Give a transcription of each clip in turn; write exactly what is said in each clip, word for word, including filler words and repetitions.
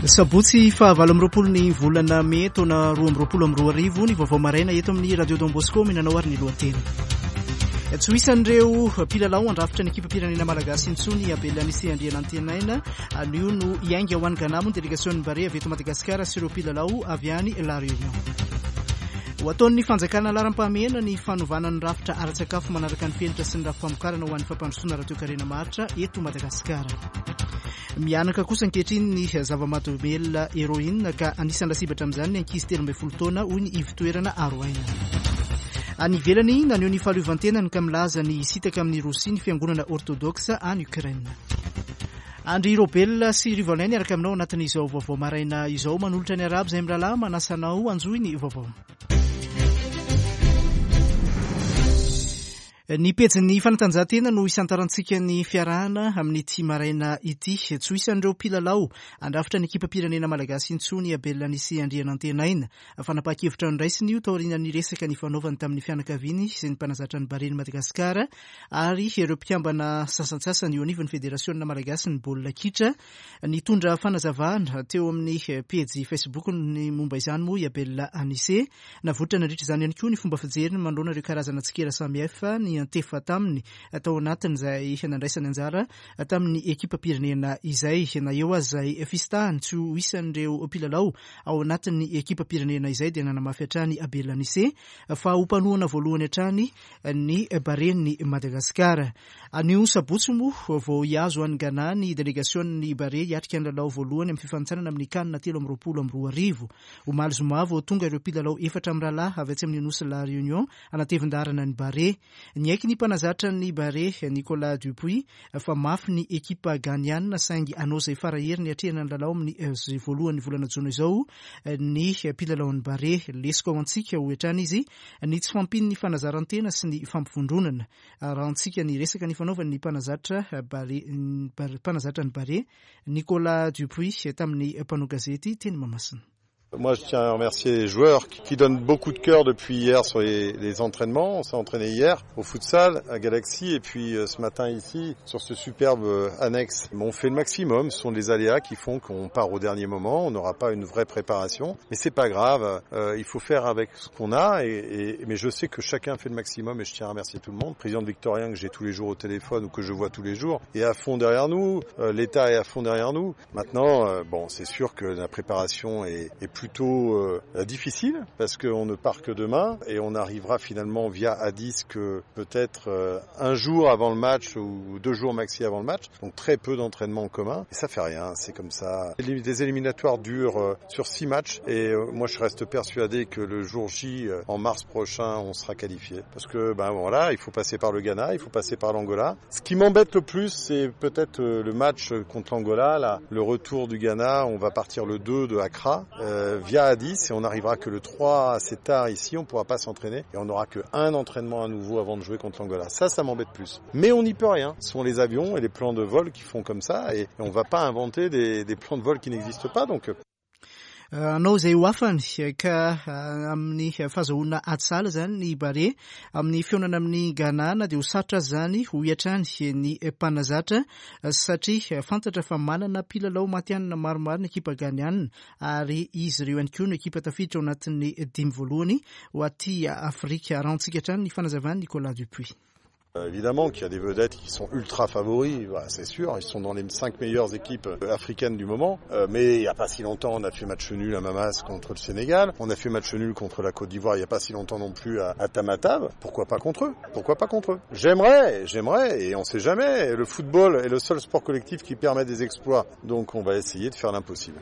Sabotsy fahavalo amby roapolo ny volana mey taona roa amby roapolo amby roa arivo ny vaovao maraina eto amin'ny Radio Don Bosco minanao ary ny lohateny. Tsy ho isan'ireo mpilalao andrafitra ny ekipam-pirenena malagasy intsony Abel Anicet Andrianantenaina. Anio no hiainga ho any Ghana moa ny delegasion'ny Barea avy eto Madagasikara sy ireo mpilalao avy any La Réunion. Ho ataon'ny fanjakana laharam-pahamehana ny fanovana ny rafitra ara-tsakafo manaraka ny fenitra sy ny rafi-pamokarana ho an'ny fampandrosoana ara-toekarena maharitra eto Madagasikara. Mianaka kosa ankehitriny ny zava-mahadomelina héroïne ka anisan'ny lasibatra amin'izany ny ankizy telo ambin'ny folo taona hoy ny ivon-toerana aro aina. Any ivelany, naneho ny fahaleovantenany ka milaza ny hisintaka amin'ny Rosia ny fiangonana orthodoxe any Ukraine. Andry Robel sy Rivolin niaraka aminao anatin'izao vaovao maraina izao, manolotra ny arabo izay mirahalahy manasa anao anjohy ny vaovao. Ny pejin'ny fanatanjahantena no isantarantsika ny fiarahana amin'ity maraina ity. Tsy ho isan'ireo mpilalao andrafitra ny ekipam-pirenena malagasy intsony Abel Anicet Andrianantenaina. Fanapahan-kevitra noraisiny io taorian'ny resaka nifanaovany tamin'ny fianakaviany sy ny mpanazatra ny Baren'i Madagasikara ary ireo mpikambana sasantsasany eo anivon'ny Federasiona malagasy ny baolina kitra. Nitondra fanazavana teo amin'ny pejy Facebook ny momba izany moa i Abel Anicet. Navoitra nandritra izany ihany koa ny fomba fijeriny manoloana ireo karazana tsikera samihafa ny antefa taminy tao anatin'izay nandraisany anjara tamin'ny ekipam-pirenena izay. Na eo aza izay fisintahany tsy ho isan'ireo mpilalao ao anatin'ny ekipam-pirenena izay dia nanamafy hatrany Abel Anicet fa ho mpanohana voalohany hatrany ny Baren'i Madagasikara. Anio sabotsy moa vao hiazo any Ghana ny delegasion'ny Barea hiatrika ny lalao voalohany amin'ny fifanintsanana amin'ny CAN telo amby roapolo amby roa arivo. Omaly zoma vao tonga ireo mpilalao efatra amin'ny rahalahy avy atsy amin'ny nosy La Réunion anatevin-daharana ny Barea. Niaiky ny mpanazatra ny Barea Nicolas Dupuis fa mafy ny ekipa ghaniana saingy hanao izay faraheriny hiatrehana ny lalao amin'ny voalohan'ny volana jona izao ny mpilalaon'ny Barea. Lesoka ho antsika hoy hatrany izy ny tsy fahampian'ny fanazaran-tena sy ny fampivondronana. Raha antsika ny resaka nifanaovan'ny mpanazatra Barea mpanazatra ny Barea Nicolas Dupuis tamin'ny mpanao gazety teny Mahamasina. Moi, je tiens à remercier les joueurs qui, qui donnent beaucoup de cœur depuis hier sur les, les entraînements. On s'est entraîné hier au futsal à Galaxy et puis euh, ce matin ici sur ce superbe euh, annexe. On fait le maximum. Ce sont des aléas qui font qu'on part au dernier moment. On n'aura pas une vraie préparation, mais c'est pas grave. Euh, il faut faire avec ce qu'on a. Et, et, mais je sais que chacun fait le maximum et je tiens à remercier tout le monde. Le président de Victorien que j'ai tous les jours au téléphone ou que je vois tous les jours est à fond derrière nous. Euh, L'État est à fond derrière nous. Maintenant, euh, bon, c'est sûr que la préparation est, est plus plutôt euh, difficile parce qu'on ne part que demain et on arrivera finalement via Addis que peut-être euh, un jour avant le match ou deux jours maxi avant le match, donc très peu d'entraînement en commun et ça fait rien, c'est comme ça. Les éliminatoires durent euh, sur six matchs et euh, moi je reste persuadé que le jour J euh, en mars prochain on sera qualifié parce que ben voilà, il faut passer par le Ghana, il faut passer par l'Angola. Ce qui m'embête le plus, c'est peut-être euh, le match contre l'Angola, là, le retour du Ghana, on va partir le deux de Accra euh, via Addis et on n'arrivera que le trois assez tard ici, on ne pourra pas s'entraîner et on n'aura que un entraînement à nouveau avant de jouer contre l'Angola. Ça, ça m'embête plus. Mais on n'y peut rien. Ce sont les avions et les plans de vol qui font comme ça et on ne va pas inventer des, des plans de vol qui n'existent pas. Donc Anao izay ho afany ka amin'ny fahazahoana ady sahala zany ny Barea amin'ny fihaonana amin'ny Ghana dia ho sarotra zany hoy hatrany ny mpanazatra satria fantatra fa manana mpilalao matihanina maromaro ny ekipa ghaniana ary izy ireo ihany koa no ekipa tafiditra ao anatin'ny dimy voalohany ho aty Afrika. Rahantsika hatrany ny fanazavan'i Nicolas Dupuis. Évidemment qu'il y a des vedettes qui sont ultra favoris, bah, c'est sûr, ils sont dans les cinq meilleures équipes africaines du moment. Euh, mais il n'y a pas si longtemps, on a fait match nul à Mamas contre le Sénégal, on a fait match nul contre la Côte d'Ivoire il n'y a pas si longtemps non plus à, à Tamatave. Pourquoi pas contre eux? Pourquoi pas contre eux? J'aimerais, j'aimerais, et on ne sait jamais. Le football est le seul sport collectif qui permet des exploits, donc on va essayer de faire l'impossible.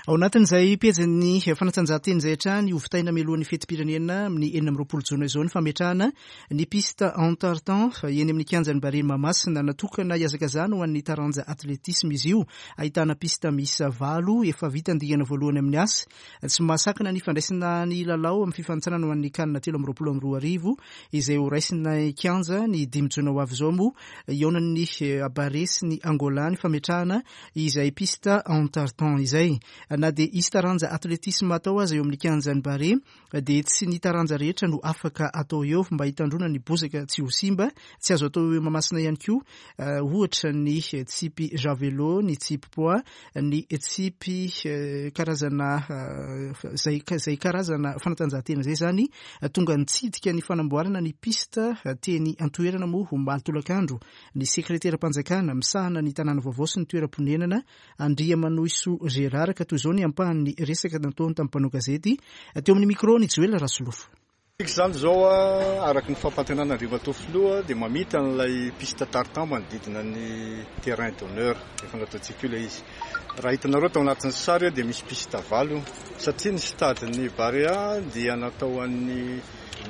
Ao anatin'izay pejin'ny fanatanjahantena izay hatrany ho vitaina mialohan'ny fetim-pirenena amin'ny enina amby roapolo jona izao ny fametrahana ny piste en tartan eny amin'ny kianjan'ny Barea Mahamasina. Natokana hiazakazana ho an'ny taranja atletisme izy io, ahitana piste miisa valo efa vita ny dingana voalohany amin'ny asa. Tsy mahasakana ny fandraisana ny lalao amin'ny fifanintsanana ho an'ny CAN telo amby roapolo amby roa arivo izay ho raisina kianja ny dimy jona ho avy izao moa hihaonan'ny Barea sy ny Angola ny fametrahana izay piste en tartan izay. Na dia hisy taranja atletisma atao aza eo amin'ny kianjan'ny Barea dia tsy ny taranja rehetra no afaka atao eo mba hitandroana ny bozaka tsy ho simba. Tsy azo atao eo Mahamasina ihany koa ohatra ny tsipy javelot, ny tsipy poids, ny tsipy karazana zay zay karazana fanatanjahantena zay zany. Tonga nitsidika ny fanamboarana ny piste teny antoerana moa omaly tolakandro ny sekreteram-panjakana misahana ny tanàna vaovao sy ny toeram-ponenana Andriamanohisoa Gérard, ka toy izao ny ampahan'ny resaka nataony tamin'ny mpanao gazety teo amin'ny micro ny Joel Rasolofo. Izany zao araka ny fampantenana Andriamatoa Filoha dia mamita an'ilay piste tartan manodidina ny terrain d'honneur efa nataontsika io ilay izy. Raha hitanareo tao anatin'ny sary dia misy piste valo satria ny stade ny Barea dia natao an'ny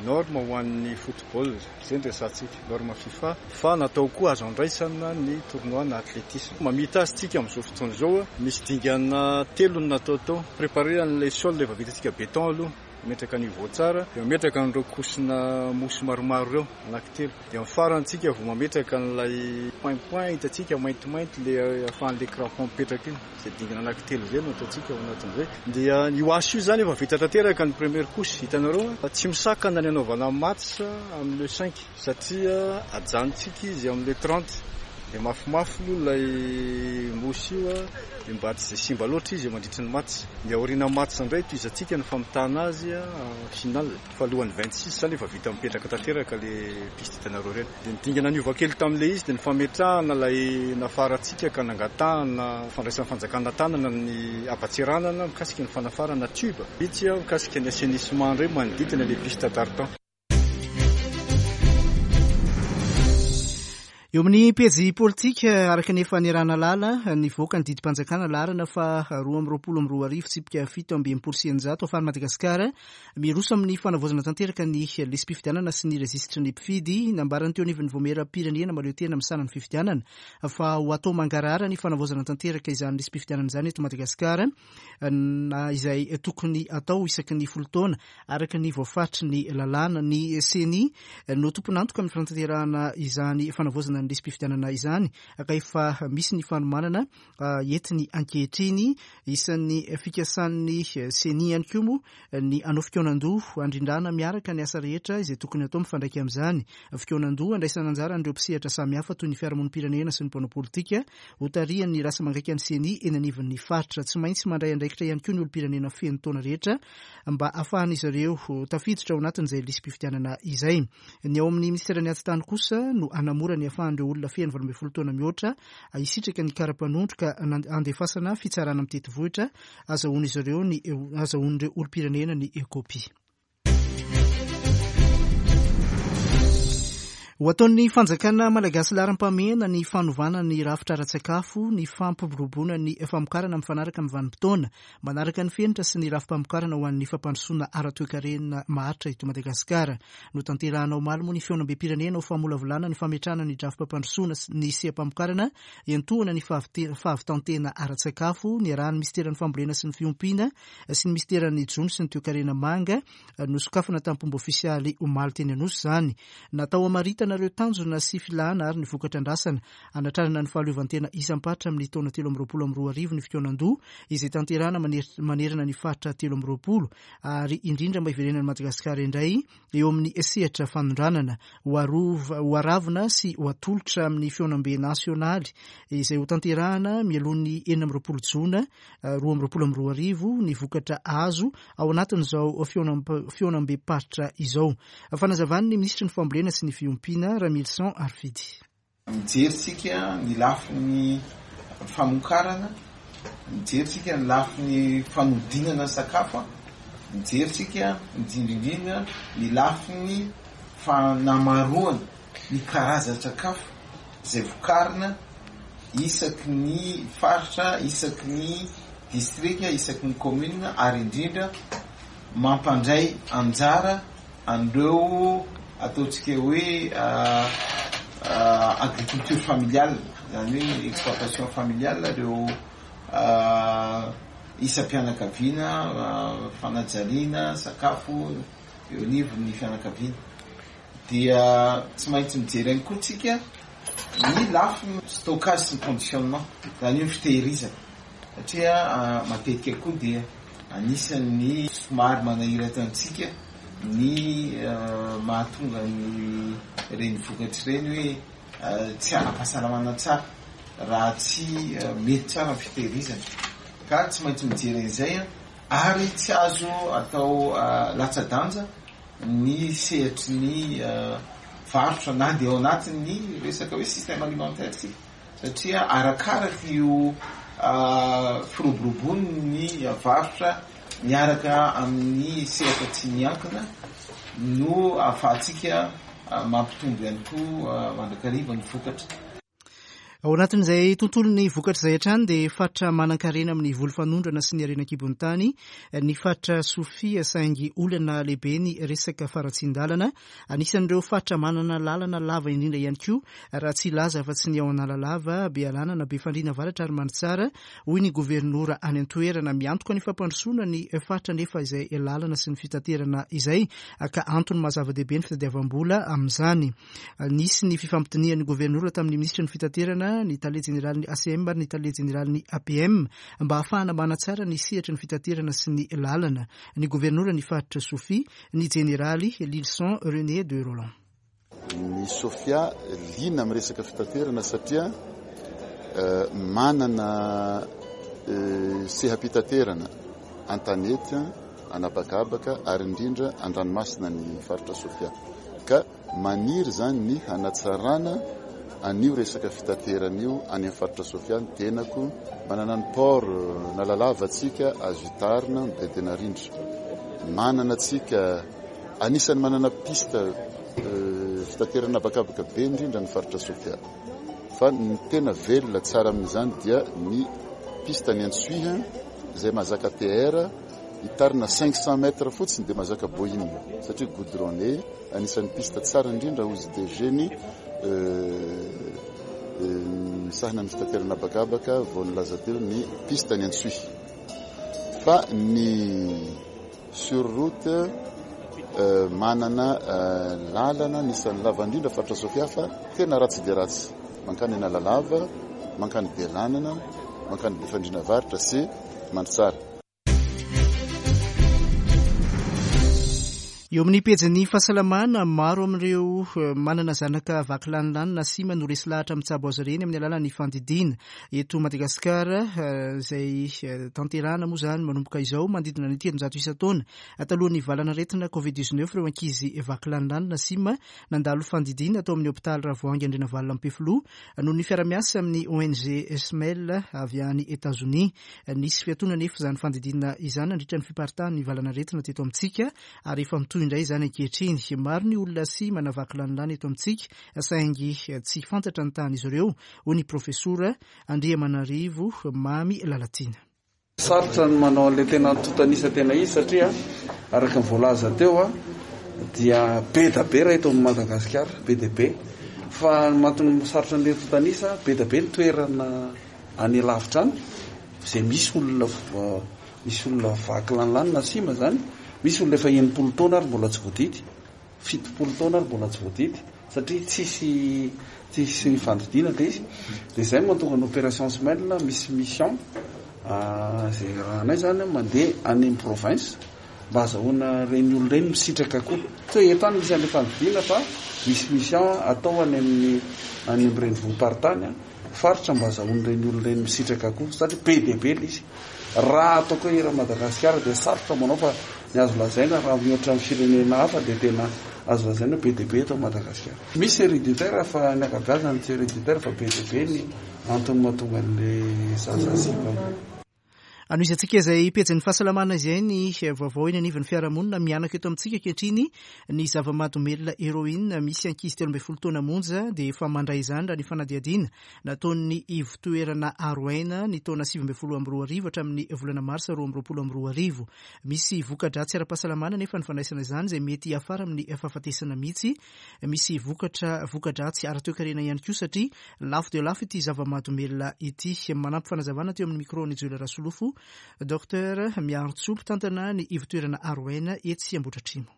norme ho an'ny football, izay no resahantsika, norme FIFA, fa natao koa azo andraisana ny tournoi na athlétisme. Mamita azy tsika amin'izao fotoana izao, misy dingana telo no natao tao. Préparer an'ilay sol efa vitantsika béton aloha, mametraka niveau tsara, dia mametraka an'ireo couche-na mousse maromaro ireo anankitelo. Dia amin'ny farany tsika vao mametraka an'ilay point point hitantsika maintimainty le ahafahan'ilay crampon mipetraka iny. Izay dingana anankitelo izay no ataontsika ao anatin'izay. Dia io asa io zany efa vita tanteraka ny première couche, hitanareo tsy misakana ny anaovana match amin'ny le cinq satria ajanontsika izy amin'ny le trente. Dia mafimafy aloha ilay mousse io dia mba tsy dia simba loatra izy mandritra ny match. Dia aoriana match indray tohizantsika ny famitana azy final. Fa alohan'ny vingt-six zany efa vita mipetraka tanteraka le piste hitanareo ireny. Dia ny dingana niova kely tamin'ilay izy dia ny fametrahana ilay nafarantsika ka nangatahana fandraisan'ny fanjakana tanana ny abatseranana mikasika ny fanafarana tube. Itsy mikasika ny assainissement indray manodidina ilay piste tartan. Eo amin'ny pejy politika, araka ny efa niaraha-nahalala, nivoaka ny didim-panjakana laharana fa roa amby roapolo amby roa arivo tsipika fito amby enimpolo sy eninjato ahafahan'i Madagasikara miroso amin'ny fanavaozana tanteraka ny lisi-pifidianana sy ny rejistry ny mpifidy. Nambarany teo anivon'ny vaomieram-pirenena mahaleo tena misahana ny fifidianana fa ho atao mangarahara ny fanavaozana tanteraka izany lisi-pifidianana izany eto Madagasikara, na izay tokony atao isaky ny folo taona araka ny voafaritry ny lalàna. Ny CENI no tompon'antoka amin'ny fanatanterahana izany fanavaozana ny lisi-pifidianana izany, ka efa misy ny fanomanana entiny ankehitriny. Isan'ny fikasan'ny CENI ihany koa moa ny hanao fikaonan-doha handrindrana miaraka ny asa rehetra izay tokony atao mifandraika amin'izany. Fikaonan-doha andraisana anjara an'ireo mpisehatra samihafa toy ny fiarahamonim-pirenena sy ny mpanao politika, hotarihan'ny rasa mangaika ny CENI eny anivon'ny faritra. Tsy maintsy mandray andraikitra ihany koa ny olom-pirenena feno taona rehetra mba ahafahan'izy ireo tafiditra ao anatin'izay lisi-pifidianana izay. Ny ao amin'ny ministeran'ny Atitany kosa no hanamora ny ahafahan'ireo olona feno valo ambin'ny folo taona mihoatra hisitraka ny kara-panondro ka andefasana fitsarana mitety vohitra azahoan'izy ireo ny azahoan'ireo olom-pirenena ny kopia. Ho ataon'ny fanjakana malagasy laharam-pahamehana ny fanovana ny rafitra ara-tsakafo, ny fampiroboroboana ny famokarana mifanaraka amin'ny vanim-potoana, manaraka ny fenitra sy ny rafi-pamokarana ho an'ny fampandrosoana ara-toekarena maharitra eto Madagasikara. Notanterahana omaly moa ny fihaonambem-pirenena ho famolavolana ny fametrahana ny drafi-pampandrosoana ny seha-pamokarana iantohana ny fahavitantena ara-tsakafo, niarahan'ny minisiteran'ny fambolena sy ny fiompiana sy ny minisiteran'ny jono sy ny toekarena manga. Nosokafana tamin'ny fomba ofisialy omaly teny Anosy izany. Natao hamaritana ireo tanjona sy filana ary ny vokatra andrasana hanatrarana ny fahaleovantena isam-paritra amin'ny taona telo amby roapolo amby roa arivo ny fikaonan-doha izay tanterahana manerana ny faritra telo amby roapolo, ary indrindra mba hiverenan'i Madagasikara indray eo amin'ny sehatra fanondranana. Ho aravona sy ho atolotra amin'ny fihaonambe nasionaly izay ho tanterahana mialohan'ny enina amby roapolo jona roa amby roapolo amby roa arivo ny vokatra azo ao anatin'izao fihaonambe-paritra izao. Fanazavan'ny minisitry ny fambolena sy ny fiompiana Ramilison Arfidy. Mijery tsika ny lafiny famokarana, mijery tsika ny lafiny fanodinana sakafo, mijery tsika indrindra ny lafiny fanamaroana ny karazan-tsakafo izay vokarina isaky ny faritra, isaky ny distrika, isaky ny commune, ary indrindra mampandray anjara an'ireo ataontsika hoe agriculture familiale, zany hoe exploitation familiale, ireo isam-pianakaviana, fanajariana sakafo eo anivon'ny fianakaviana. Dia tsy maintsy mijery ihany koa tsika ny lafiny stockage sy ny conditionnement, zany hoe fitehirizana. Satria matetika koa dia anisan'ny somary manahirana antsika ny mahatonga ny reny vokatra ireny hoe tsy ara-pahasalamana tsara raha tsy mety tsara ny fitehirizana. Ka tsy maintsy mijery an'izay ary tsy azo atao latsa-danja ny sehatry ny varotra na dia ao anatin'ny resaka hoe système alimentaire tsika, satria arakaraka io firoborobony ny varotra miaraka amin'ny sehatra tsy miankina no ahafahantsika mampitombo ihany koa mandrakariva ny vokatra. Ao anatin'izay tontolon'ny vokatra izay hatrany dia faritra manan-karena amin'ny voly fanondrana sy ny harena an-kibon'ny tany ny faritra Sofia, saingy olana lehibe ny resaka faratsian-dalana. Anisan'ireo faritra manana lalana lava indrindra ihany koa, raha tsy hilaza fa tsy ny ao Analalava, Bealanana, Befandriana Avaratra ary Mandritsara, hoy ny governora any an-toerana. Miantoka ny fampandrosoana ny faritra nefa izay lalana sy ny fitaterana izay ka antony maha-zava-dehibe ny fitadiavam-bola amin'izany. Nisy ny fifampidinihan'ny governora tamin'ny minisitry ny fitaterana, ny tale jeneralin'ny A C M ary ny tale jeneralin'ny A P M mba hahafahana manatsara ny sehatry ny fitaterana sy ny lalana. Ny governora ny faritra Sofia, ny jeneraly Lilson René de Roland. Ny Sofia liana amin'ny resaka fitaterana satria manana seha-pitaterana an-tanety, anabakabaka ary indrindra an-dranomasina ny faritra Sofia. Ka maniry zany ny hanatsarana an'io resaka fitaterana io any amin'ny faritra Sofia. Ny tenako manana ny port Analalava antsika azo hitarina Bedena rindra. Manana antsika anisan'ny manana piste fitaterana abakabaka be indrindra ny faritra Sofia. Fa ny tena velona tsara amin'izany dia ny piste ny Antsohihy izay mahazaka T R hitarina cinq cents mètres fotsiny dia mahazaka Boeing, satria goudronné anisan'ny piste tsara indrindra hozy D G ny misahana ny fitaterana abakabaka vao nilaza teo ny piste ny Antsohihy. Fa ny sur route manana lalana anisan'ny lava indrindra faritra Sofia fa tena ratsy dia ratsy, mankany Analalava, mankany Bealanana, mankany Befandriana Avaratra sy Mandritsara. Eo amin'ny pejin'ny fahasalamana, maro amin'ireo manana zanaka vaky lanilany na sima no resy lahatra mitsabo azy ireny amin'ny alalan'ny fandidiana. Eto Madagasikara izay tanterahana moa izany manomboka izao manodidina ny telonjato isan-taona talohan'ny valanaretina covid dix-neuf ireo ankizy vaky lanilany na sima nandalo fandidiana tao amin'ny hôpitaly Ravoahangy Andrianavalona Ampefiloha noho ny fiarahamiasa amin'ny O N G Smell avy any Etazonia. Nisy fiatoana nefa izany fandidiana izany nandritra ny fiparitahan'ny valanaretina teto amintsika ary efa mitohy indray izany ankehitriny. Maro ny olona sima na vaky lanilany eto amintsika saingy tsy fantatra ny tahan'izy ireo, hoy ny profesora Andriamanarivo Mamy Lalatiana. Sarotra ny manao an'ilay tena antontan'isa tena izy satria araka ny voalaza teo a dia be da be raha eto amin'ny Madagasikara, be dia be. Fa ny mahatonga sarotra an'ilay antontan'isa, be da be ny toerana any lavitra any izay misy olona vo-, misy olona vaky lanilany na sima zany, misy olona efa enimpolo taona ary mbola tsy voadidy, fitopolo taona ary mbola tsy voadidy satria tsisy, tsisy fandidiana ilay izy. Dia izay no mahatonga ny opération Smell, misy mission, ah, izay rahanay zany mandeha any amin'ny province mba ahazoana ireny olona ireny misitraka koa. Tsy hoe eto any misy an'ilay fandidiana fa misy mission atao any amin'ny, any amin'ny renivohi-paritany, faritra mba ahazoan'ireny olona ireny misitraka koa satria be dia be ilay izy. Raha ataoko hoe eran'i Madagasikara dia sarotra manao fa ny azo lazaina raha mihoatra amin'ny firenena hafa dia tena azo lazaina be dia be eto Madagasikara. Misy héréditaire fa ny ankabeazany tsy héréditaire fa be dia be ny antony mahatonga an'ilay zaza simba. Anohizantsika izay pejin'ny fahasalamana izay ny vaovao eny anivon'ny fiarahamonina mianaka eto amintsika ankehitriny ny zava-mahadomelina héroïne. Misy ankizy telo ambin'ny folo taona monja dia efa mandray izany raha ny fanadihadiana nataon'ny ivotoerana Aroaina ny taona sivy ambin'ny folo amby roa arivo hatramin'ny volana marsa roa amby roapolo amby roa arivo. Misy voka-dratsy ara-pahasalamana nefa ny fandraisana izany izay mety hiafara amin'ny fahafatesana mihitsy. Misy vokatra, voka-dratsy ara-toekarena ihany koa satria lafo dia lafo ity zava-mahadomelina ity. Manampy fanazavana teo amin'ny micro ny Joela Rasolofo, Docteur Miarintsoa, mpitantana ny ivotoerana Aroaina etsy Ambohidratrimo.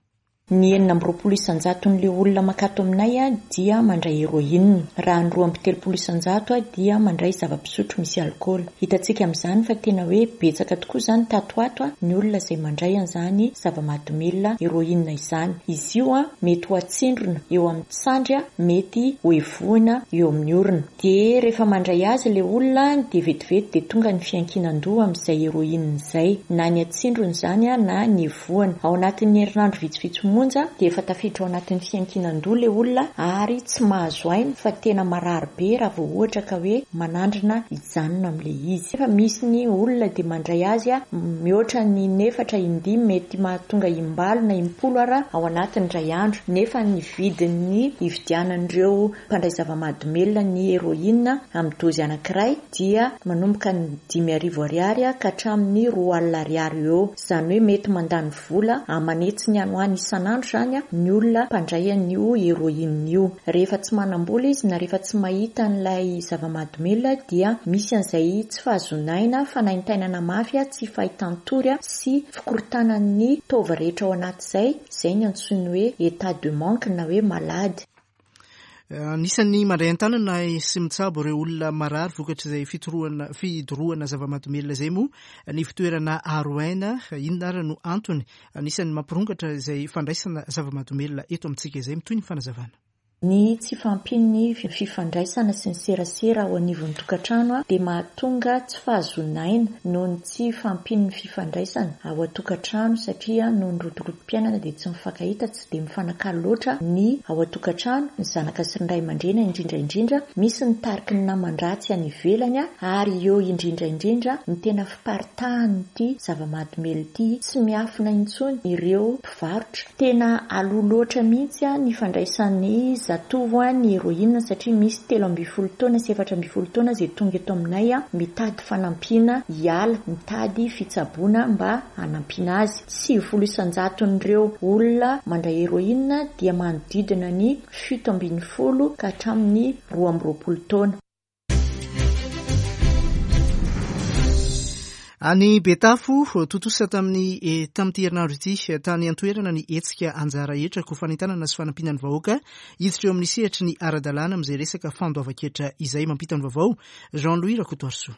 Ny enina amby roapolo isan-jaton'ilay olona makato aminay dia mandray héroïne, raha ny roa amby telopolo isan-jato dia mandray zava-pisotro misy alkaola. Hitantsika amin'izany fa tena hoe betsaka tokoa izany tato ato ny olona izay mandray an'izany zava-mahadomelina héroïne izany. Izy io mety ho atsindrona eo amin'ny sandry, mety ho evohina eo amin'ny orona. Dia rehefa mandray azy ilay olona dia vetivety dia tonga ny fiankinan-doha amin'izay héroïne izay, na ny atsindrona izany na ny evohana. Ao anatin'ny herinandro vitsivitsy monja dia efa tafiditra ao anatin'ny fiankinan-doha ilay olona ary tsy mahazo aina fa tena marary be raha vao ohatra ka hoe manandrana hijanona amin'ilay izy. Efa misy ny olona dia mandray azy mihoatra ny nefatra indimy, mety mahatonga imbalo na impolo ara ao anatin'ny iray andro, nefa ny vidin'ny ividianan'ireo mpandray zava-mahadomelina ny héroïne amin'ny dozy anankiray dia manomboka ny dimy arivo ariary ka hatramin'ny roa alina ariary eo. Izany hoe mety mandany vola amanetsiny any ho any isan'andro izany ny olona mpandray an'io héroïne io. Rehefa tsy manam-bola izy na rehefa tsy mahita an'ilay zava-mahadomelina dia misy an'izay tsy fahazoana aina, fanaintainana mafy, tsy fahitan-tory sy fikorontanan'ny taova rehetra ao anaty izay, izay ny antsoiny hoe état de manque na hoe malady. Anisan'ny mandray an-tanana sy mitsabo ireo olona marary vokatr'izay fitorohana fidorohana zava-mahadomelina izay moa ny fitoerana aro aina. Inona ary no antony anisan'ny mampirongatra izay fandraisana zava-mahadomelina eto amintsika izay? Mitohy ny fanazavana. Ny tsy fahampian'ny fifandraisana sy ny serasera ao anivon'ny tokantrano dia mahatonga tsy fahazoana aina noho ny tsy fahampian'ny fifandraisana ao an-tokantrano, satria noho ny rotorotom-piainana dia tsy mifankahita, tsy dia mifanakalo loatra ny ao an-tokantrano, ny zanaka sy ny ray aman-dreny indrindra indrindra. Misy ny tariky ny naman-dratsy any ivelany ary eo indrindra indrindra ny tena fiparitahan'ity zava-mahadomelina ity. Tsy miafina intsony ireo mpivarotra. Tena aloha loatra mihitsy ny fandraisan'ny zatovo ny héroïne, satria misy telo ambin'ny folo taona sy efatra ambin'ny folo taona izay tonga eto aminay mitady fanampiana hiala, mitady fitsaboana mba hanampiana azy. Sivifolo isan-jaton'ireo olona mandray héroïne dia manodidina ny fito ambin'ny folo ka hatramin'ny roa amby roapolo taona. Any Betafo, tontosa tamin'ny tamin'ity herinandro ity tany an-toerana ny hetsika anjara hetra ko fanentanana sy fanampiana ny vahoaka hiditra eo amin'ny sehatry ny ara-dalàna amin'izay resaka fandoavan-ketra izay. Mampita ny vaovao Jean-Louis Rakotoarisoa.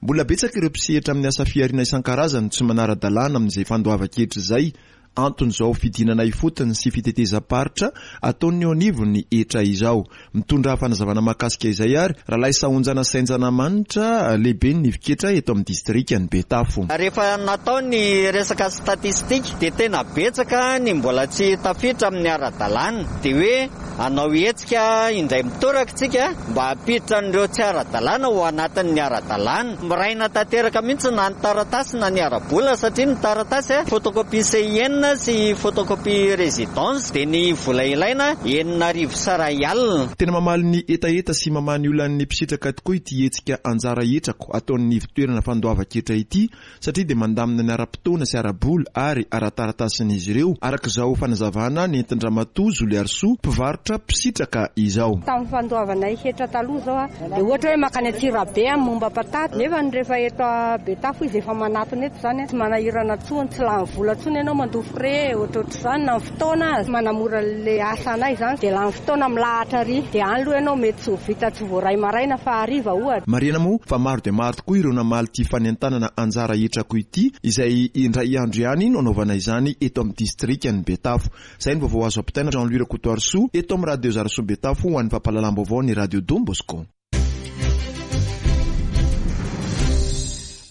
Mbola betsaka ireo mpisehatra amin'ny asa fihariana isan-karazany tsy manara-dalàna amin'izay fandoavan-ketra izay. Anton'izao fidinana ifotony sy fitetezam-paritra ataon'ny eo anivon'ny hetra izao. Mitondra fanazavana mahakasika izay ary Ralay Sahonjana Sainjana Manitra, lehiben'ny ivon-ketra eto amin'ny distrikan'i Betafo. Rehefa natao ny resaka statistika dia tena betsaka ny mbola tsy tafiditra amin'ny ara-dalàna. Dia hoe hanao hetsika indray mitoraka tsika mba hampiditra an'ireo tsy ara-dalàna ho anatin'ny ara-dalàna. Miraina tanteraka mihitsy na ny taratasy na ny ara-bola, satria ny taratasy photocopie C I N sy photocopie résidence dia ny vola ilaina enina arivo saray alina. Tena mamaly ny hetaheta sy mamaha ny olan'ny mpisitraka tokoa ity hetsika anjara hetrako ataon'ny ivon-toerana fandoavan-ketra ity, satria dia mandamina ny ara-potoana sy ara-bola ary ara-taratasin'izy ireo, araka izao fanazavana nentin-dRamatoa Zoliarisoa, mpivarotra mpisitraka izao. Tamin'ny fandoavanay hetra taloha izao dia ohatra hoe makany Antsirabe momba patate, nefa ny rehefa eto Betafo izy efa manatona eto izany, tsy manahirana intsony, tsy lany vola intsony ianao mandoa frais ohatrohatry izany, na ny fotoana azy manamora le asanay izany dia lany fotoana milahatra ary dia any aloha ianao mety tsy ho vita, tsy voaray maraina fa hariva ohatra. Marihana moa fa maro dia maro tokoa ireo namaly ity fanentanana anjara hetrako ity, izay indray andro ihany no anaovana izany eto amin'ny distrikan'i Betafo. Izay ny vaovao azo ampitaina Jean-Louis Rakotoarisoa eto amin'ny Radio Zarasoa Betafo ho an'ny fampahalalam-baovao ny Radio Don Bosco.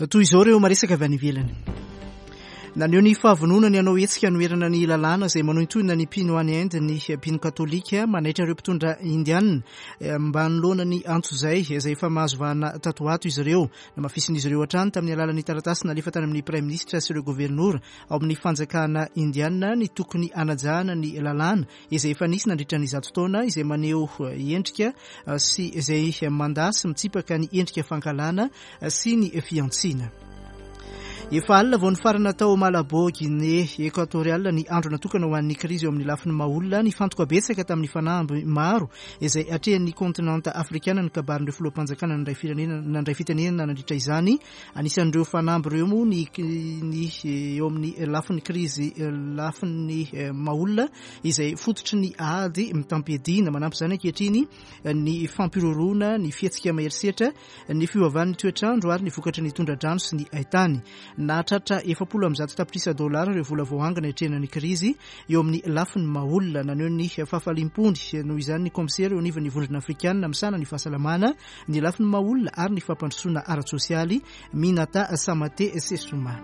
Toy izao ireo maresaka avy any ivelany. Naneho ny fahavononany hanao hetsika hanoherana ny lalàna izay manohintohina ny mpino any Inde ny mpino katolika, manaitra ireo mpitondra indianina mba hanoloana ny antso izay izay efa mahazo vahana tato ato izy ireo. Namafisin'izy ireo hatrany tamin'ny alalan'ny taratasy nalefa tany amin'ny praiminisitra sy ireo governora ao amin'ny fanjakana indianina ny tokony hanajana ny lalàna izay efa nisy nandritra ny zato taona, izay maneho endrika sy izay mandà sy mitsipaka ny endrika fankahalana sy ny fihantsiana. Efa alina vao nifarana tao Malabo, Guinée Équatoriale, ny andro natokana ho an'ny krizy eo amin'ny lafiny maha-olona. Nifantoka betsaka tamin'ny fanamby maro izay atrehan'ny kontinanta afrikana ny kabarin'ireo filoham-panjakana nandray firenena nandray fitenenana nandritra izany. Anisan'ireo fanamby ireo moa ny ny eo amin'ny lafiny krizy lafiny maha-olona izay fototry ny ady mitam-piadiana. Manampy izany ankehitriny ny fampiroroana, ny fihetsika maherisetra, ny fiovaovan'ny toetrandro ary ny vokatry ny tondra-drano sy ny haitany. Nahatratra efapolo amby zato tapitrisa dolara ireo vola voaangona hiatrehana ny krizy eo amin'ny lafiny maha-olona. Naneho ny fahafaliam-pony noho izany ny kaomisera eo anivon'ny Vondrona Afrikanina misahana ny fahasalamana, ny lafiny maha-olona ary ny fampandrosoana ara-tsosialy, Minata Samate Sessouma.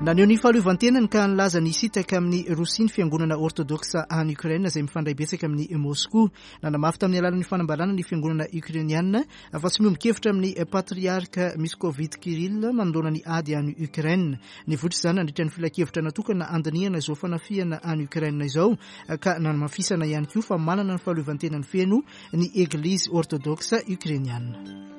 Naneho ny fahaleovantenany ka nilaza ny hisintaka amin'ny Rosia ny fiangonana ortodoksa any Ukraine izay mifandray betsaka amin'ny Moscou. Nanamafy tamin'ny alalan'ny fanambarana ny fiangonana ukrainiana fa tsy miombon-kevitra amin'ny patriarka Moscovite Kirill manoloana ny ady any Ukraine. Nivoitra izany nandritra ny filankevitra natokana handinihana izao fanafihana any Ukraine izao ka nanamafisana ihany koa fa manana ny fahaleovantenany feno ny Eglizy ortodoksa ukrainiana.